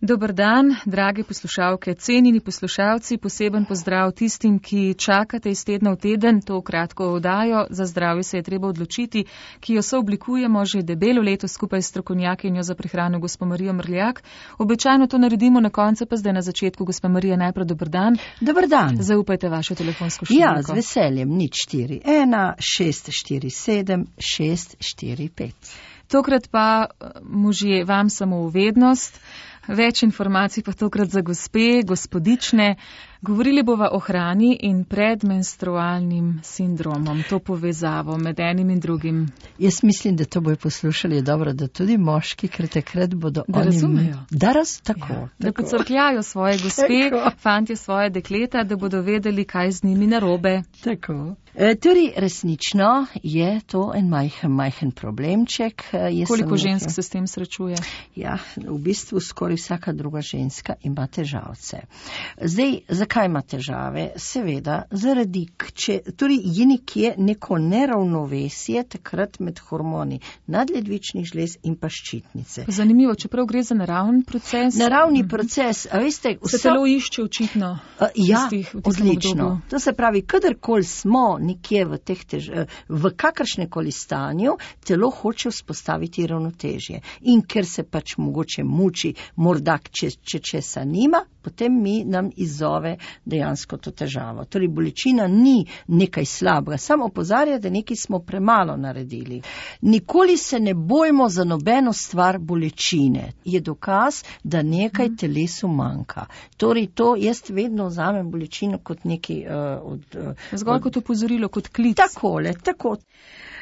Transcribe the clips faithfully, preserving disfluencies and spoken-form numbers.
Dober dan, drage poslušalke, cenjeni poslušalci, poseben pozdrav tistim, ki čakate iz tedna v teden to kratko oddajo. Za zdravje se je treba odločiti, ki jo sooblikujemo že debelo leto skupaj s strokovnjakinjo za prehrano gospo Marijo Mrljak. Običajno to naredimo na koncu, pa zdaj na začetku. Gospa Marija, najprej dober dan. Dober dan. Zaupajte vašo telefonsko številko. Ja, z veseljem, nič štiri ena šest štiri sedem šest štiri pet. Tokrat pa možje vam samo v vednost. Več informacij pa tokrat za gospe, gospodične. Govorili bova o hrani in predmenstrualnim sindromom, to povezavo med enim in drugim. Jaz mislim, da to bojo poslušali dobro, da tudi moški, ker takrat bodo da oni... razumejo. Da raz, tako. Ja, tako. Da pocrkljajo svoje gospe, Tako. fantje svoje dekleta, da bodo vedeli, kaj z njimi narobe. Tako. E, torej, resnično je to en majhen, majhen problemček. E, jaz Koliko sem žensk nekaj- se s tem srečuje? Ja, v bistvu skoraj vsaka druga ženska ima težavce. Zdaj, zakaj ima težave? Seveda, zaradi, če, torej je nekje neko neravnovesje takrat med hormoni nadledvičnih žlez in pa ščitnice. Zanimivo, čeprav gre za naravni proces. Naravni proces, a veste, Se telo išče očitno. Uh, ja, v tistih- v tistem odlično. obdobju. To se pravi, kadarkoli smo nekje v, teh tež, v kakršnekoli stanju, telo hoče vzpostaviti ravnotežje. In ker se pač mogoče muči, morda če, če česa nima, potem mi nam izzove dejansko to težavo. Torej, bolečina ni nekaj slabega, samo opozarja, da nekaj smo premalo naredili. Nikoli se ne bojmo za nobeno stvar bolečine. Je dokaz, da nekaj telesu manjka. Torej, to jaz vedno vzamem bolečino kot nekaj uh, od... Uh, Zgolj kot opozorilo, kot klic. Takole, tako.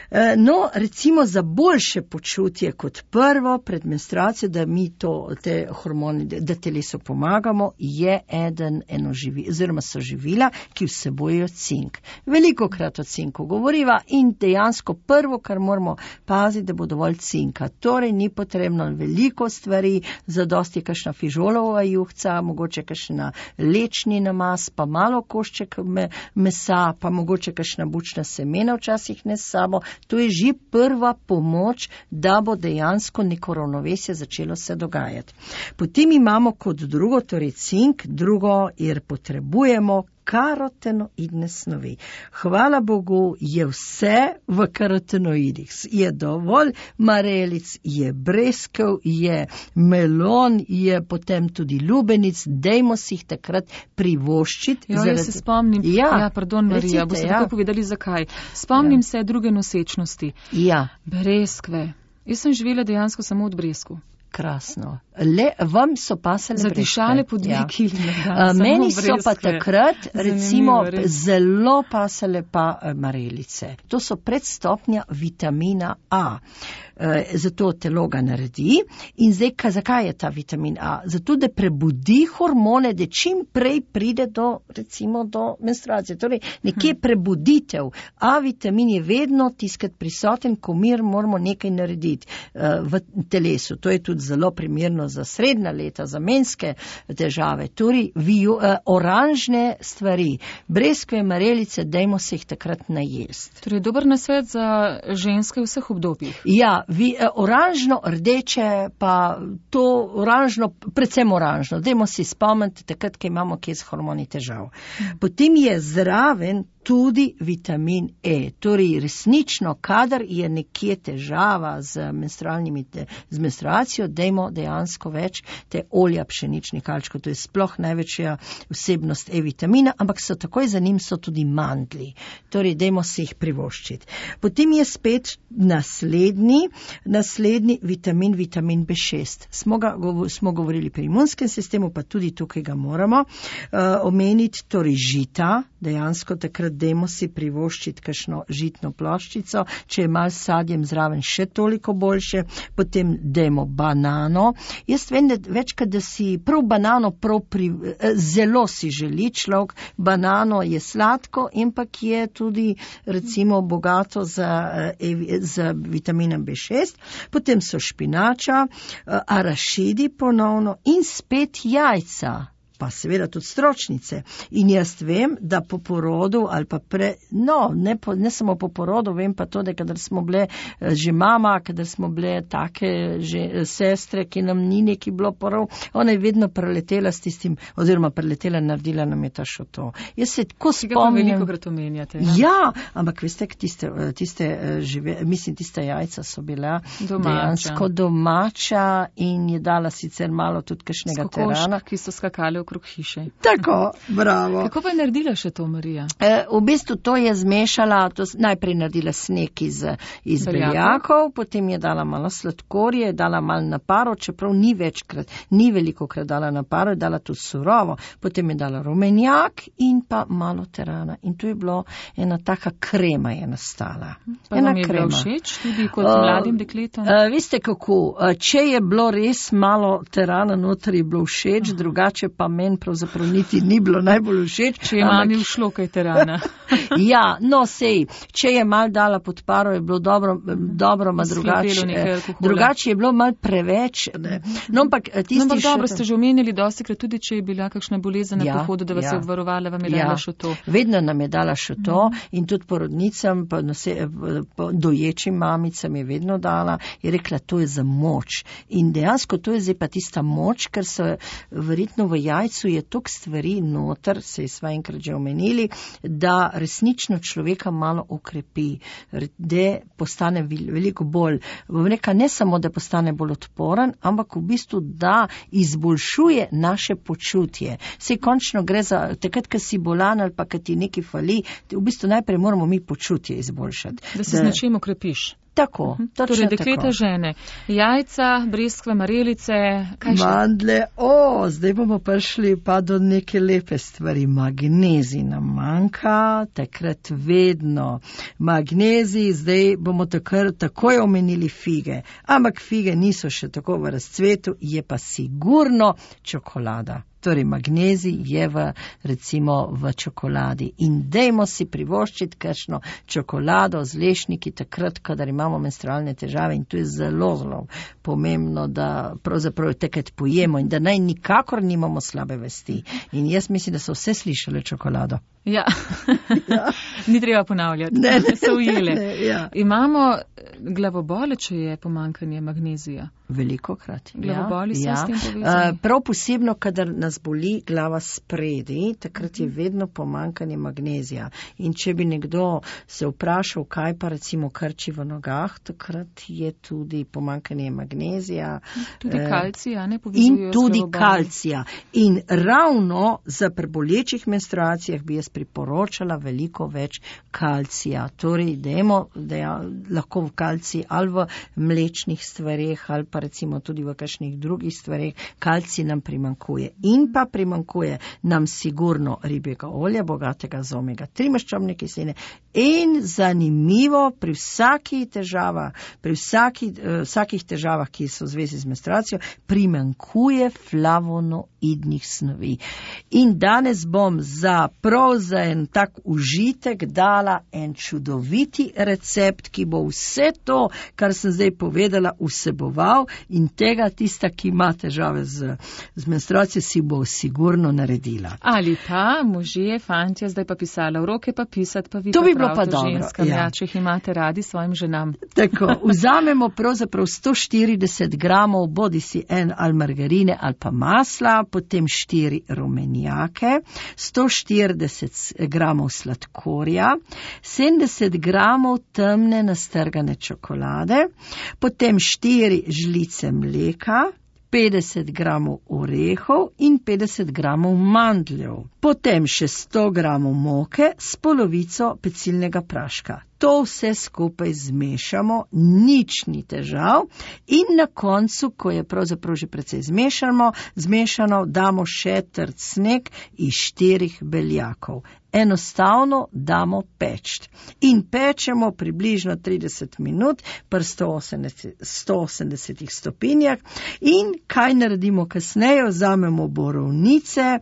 E, No, recimo za boljše počutje kot prvo pred menstruacijo, da mi to, te hormoni, da telesu pomagamo, je eden eno živi, oziroma so živila, ki vsebujejo cink. Veliko krat o cinku govoriva in dejansko prvo, kar moramo paziti, da bo dovolj cinka. Torej ni potrebno veliko stvari, zadosti kakšna fižolova juhca, mogoče kakšna lečni namaz, pa malo košček me, mesa, pa mogoče kakšna bučna semena včasih ne s sabo. To je že prva pomoč, da bo dejansko neko ravnovesje začelo se dogajati. Potem imamo kot drugo, torej cink, drugo, jer potrebujemo karotenoidne snovi. Hvala Bogu, je vse v karotenoidih. Je dovolj marelic, je breskev, je melon, je potem tudi lubenic, dejmo si jih takrat privoščiti. Jo, jaz se spomnim, Ja, ja pardon Marija, recite, boste ja. tako povedali zakaj. Spomnim Ja. se druge nosečnosti. Ja, Breskve. Jaz sem živela dejansko samo od bresku. krasno. Le, vam so pasale Zadišale breskve. po dve Ja. kili na dan, A, samo Meni so pa breskve. takrat, Zanimivo, recimo, res. zelo pasale pa eh, marelice. To so predstopnja vitamina A. E, zato telo ga naredi. In zdaj, ka, zakaj je ta vitamin A? Zato, da prebudi hormone, da čim prej pride do, recimo, do menstruacije. Torej, nekje hm. prebuditev. A vitamin je vedno tiskrat prisoten, ko mi moramo nekaj narediti e, v telesu. To je tudi zelo primerno za srednja leta, za menske težave. Torej, viju, eh, oranžne stvari, breskve, marelice, dajmo se jih takrat najesti. Torej, dober nasvet za ženske v vseh obdobjih. Ja, vi, eh, oranžno, rdeče, pa to oranžno, predvsem oranžno. Dajmo si spomniti takrat, ko imamo kje z hormoni težav. Potem je zraven tudi vitamin E. Torej, resnično, kadar je nekje težava z menstrualnimi, te, z menstruacijo, dajmo dejansko več te olja pšeničnih kalčkov. To je sploh največja vsebnost E-vitamina, ampak so takoj za njim so tudi mandlji. Torej, dajmo si jih privoščiti. Potem je spet naslednji, naslednji vitamin, vitamin B šest. Smo, ga, smo govorili pri imunskem sistemu, pa tudi tukaj ga moramo uh, omeniti, torej žita, dejansko takrat dajmo si privoščiti kakšno žitno ploščico, če je malo sadjem zraven še toliko boljše, potem dajmo banano. Jaz vem, da večkrat, da si prav banano prav pri, zelo si želi človek, banano je sladko, ampak je tudi recimo bogato za, za vitaminom B šest, potem so špinača, arašidi ponovno in spet jajca. pa seveda tudi stročnice. In jaz vem, da po porodu ali pa pre, no, ne, po, ne samo po porodu, vem pa to, da kadar smo bile že mama, kadar smo bile take že sestre, ki nam ni neki bilo porov, ona je vedno preletela s tistim, oziroma preletela, naredila nam je ta šoto. Jaz se tako spomnim. Veliko krat omenjate. Ja? ja, ampak veste, tiste, tiste, žive, mislim, tiste jajca so bila domača. Dejansko domača in je dala sicer malo tudi kakšnega terana. Ki so skakali okrog hiše. Tako, bravo. Kako pa je naredila še to Marija? E, v bistvu to je zmešala, to najprej naredila sneg iz, iz beljakov, potem je dala malo sladkorje, dala malo na paro, čeprav ni večkrat, ni veliko krat dala na paro, je dala tudi surovo, potem je dala rumenjak in pa malo terana. In to je bilo ena taka krema je nastala. Pa vam je bilo všeč tudi kot uh, mladim dekletom? Uh, veste kako, uh, če je bilo res malo terana noter, je bilo všeč, uh. drugače pa meni pravzaprav niti ni bilo najbolj všeč. Če je mami všlo kaj terana. Ja, no sej, če je mal dala pod paro, je bilo dobro, dobro, ma drugače, drugače je bilo mal preveč. Ne. No, ampak tisti no, ampak še... dobro, ste že omenili dostikrat tudi, če je bila kakšna bolezen na ja, pohodu, da vas ja. je obvarovala, vam je ja. dala šoto. Vedno nam je dala šoto mm. in tudi porodnicam, pa nose, doječim mamicam je vedno dala, je rekla, to je za moč. In dejansko to je zdaj pa tista moč, ker so verjetno v jajcu je toliko stvari noter, se je sva enkrat že omenili, da resnično človeka malo okrepi, da postane veliko bolj, bom rekla, ne samo, da postane bolj odporen, ampak v bistvu, da izboljšuje naše počutje. Sej končno gre za, takrat, ko si bolan ali pa, ko ti nekaj fali, v bistvu najprej moramo mi počutje izboljšati. Da se z nečim okrepiš. Tako, točno torej, dekleta tako. Žene, jajca, breskve, marelice, kaj še? Mandle, o, zdaj bomo prišli pa do neke lepe stvari. Magnezij nam manjka, takrat vedno. Magnezij, zdaj bomo takr, takoj omenili fige. Ampak fige niso še tako v razcvetu, je pa sigurno čokolada. Torej, magnezij je v, recimo, v čokoladi. In dejmo si privoščiti kakšno čokolado z lešniki takrat, kadar imamo menstrualne težave. In to je zelo, zelo pomembno, da pravzaprav takrat pojemo in da naj nikakor nimamo slabe vesti. In jaz mislim, da so vse slišali čokolado. Ja, ja. Ni treba ponavljati, ne, ne, so ujele. Ne, ne, ja. Imamo glavobole, če je pomanjkanje magnezija. Veliko krat. Glavoboli ja, so ja. s tem povezani. Uh, prav posebno, kadar nas boli glava spredi, takrat je vedno pomanjkanje magnezija. In če bi nekdo se vprašal, kaj pa recimo krči v nogah, takrat je tudi pomanjkanje magnezija. Tudi kalcija, ne povezujejo. In tudi kalcija. In ravno za prebolečih menstruacijah bi jaz priporočala veliko več kalcija. Torej, dajmo, da je lahko v kalciji ali v mlečnih stvareh, ali pa recimo tudi v kakšnih drugih stvareh, kalcij nam primankuje. In pa primankuje nam sigurno ribjega olja, bogatega z omega tri maščobne kisline. In zanimivo, pri vsaki težava, pri vsaki, uh, vsakih težavah, ki so v zvezi z menstruacijo, primankuje flavonoidnih snovi. In danes bom za prav za en tak užitek dala en čudoviti recept, ki bo vse to, kar sem zdaj povedala, vseboval in tega tista, ki ima težave z, z menstruacijo, si bo sigurno naredila. Ali pa možje, fantje, zdaj pa pisala v roke, pa pisati, pa vi to pa bi bilo pa dobro. Ženskam, ja. Ja, če jih imate radi svojim ženam. Tako, vzamemo pravzaprav sto štirideset gramov, bodi si en ali margarine ali pa masla, potem štiri rumenjake, sto štirideset gramov sladkorja, sedemdeset gramov temne nastrgane čokolade, potem štiri žlice mleka, petdeset gramov orehov in petdeset gramov mandljev. Potem še sto gramov moke s polovico pecilnega praška. To vse skupaj zmešamo, nič ni težav in na koncu, ko je pravzaprav že precej zmešano, zmešano, damo še trd sneg iz štirih beljakov. Enostavno damo peč. In pečemo približno trideset minut pri sto osemdeset stopinjah in kaj naredimo kasneje, vzamemo borovnice,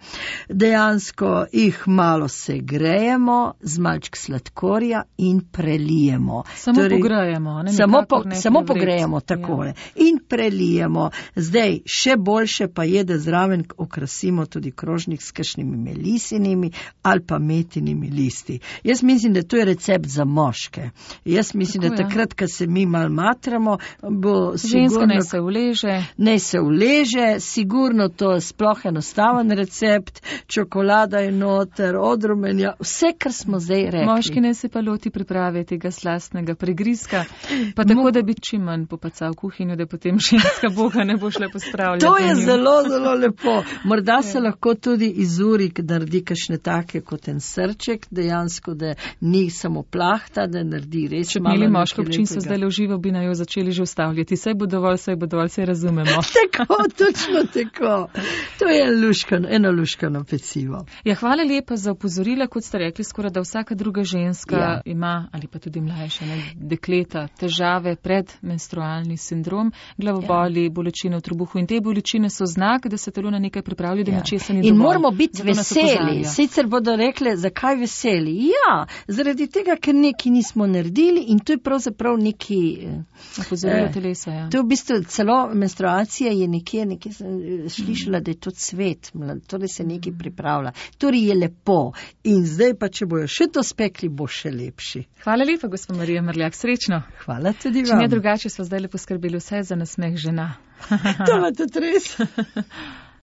dejansko jih malo segrejemo z malček sladkorja in pre prelijemo. Samo torej, pogrejemo. Ne, samo po, ne samo pogrejemo takole. Ja. In prelijemo. Zdaj, še boljše pa je, da zraven okrasimo tudi krožnik s kakšnimi melisinimi ali pa metinimi listi. Jaz mislim, da to je recept za moške. Jaz mislim, Tako, da takrat, ko se mi mal matramo, bo sigurno... Ženska ne se uleže. Ne se uleže, sigurno to je sploh enostaven recept, čokolada je noter, odrumenja, vse, kar smo zdaj rekli. Moški ne se pa loti priprave tega slastnega pregriska, pa tako, Mo... da bi čim manj popacal kuhinjo, da potem ženska boga ne bo šla pospravljati. To je zelo, zelo lepo. Morda se lahko tudi izuri, da naredi kakšne take kot en srček, dejansko, da ni samo plahta, da naredi res Če malo. Če bi imeli moško občinstvo zdaj le v živo, bi naj jo začeli že ustavljati. Saj bo dovolj, saj bo dovolj, saj razumemo. Tako, točno tako. To je luškano, eno luškano pecivo. Ja, hvala lepa za opozorila, kot ste rekli, skoraj da vsaka druga ženska ja. ima, ali pa tudi mlajša, ne, dekleta, težave pred menstrualni sindrom, glavoboli, ja. bolečine v trebuhu in te bolečine so znak, da se telo na nekaj pripravlja, da ja. nečesa ni dovolj. In moramo biti veseli. Sicer bodo rekli, zakaj veseli? Ja, zaradi tega, ker neki nismo naredili in to je pravzaprav neki... Opozorilo eh, telesa, ja. To je v bistvu celo menstruacija je nekje, nekje sem slišala, da je to cvet, torej se nekaj pripravlja. Torej je lepo. In zdaj pa, če bojo še to spekli, bo še lepši. Hvala lepa, gospod Marija Mrljak, srečno. Hvala tudi vam. Če ne drugače, so zdaj le poskrbeli vse za nasmeh žena. To je tudi res.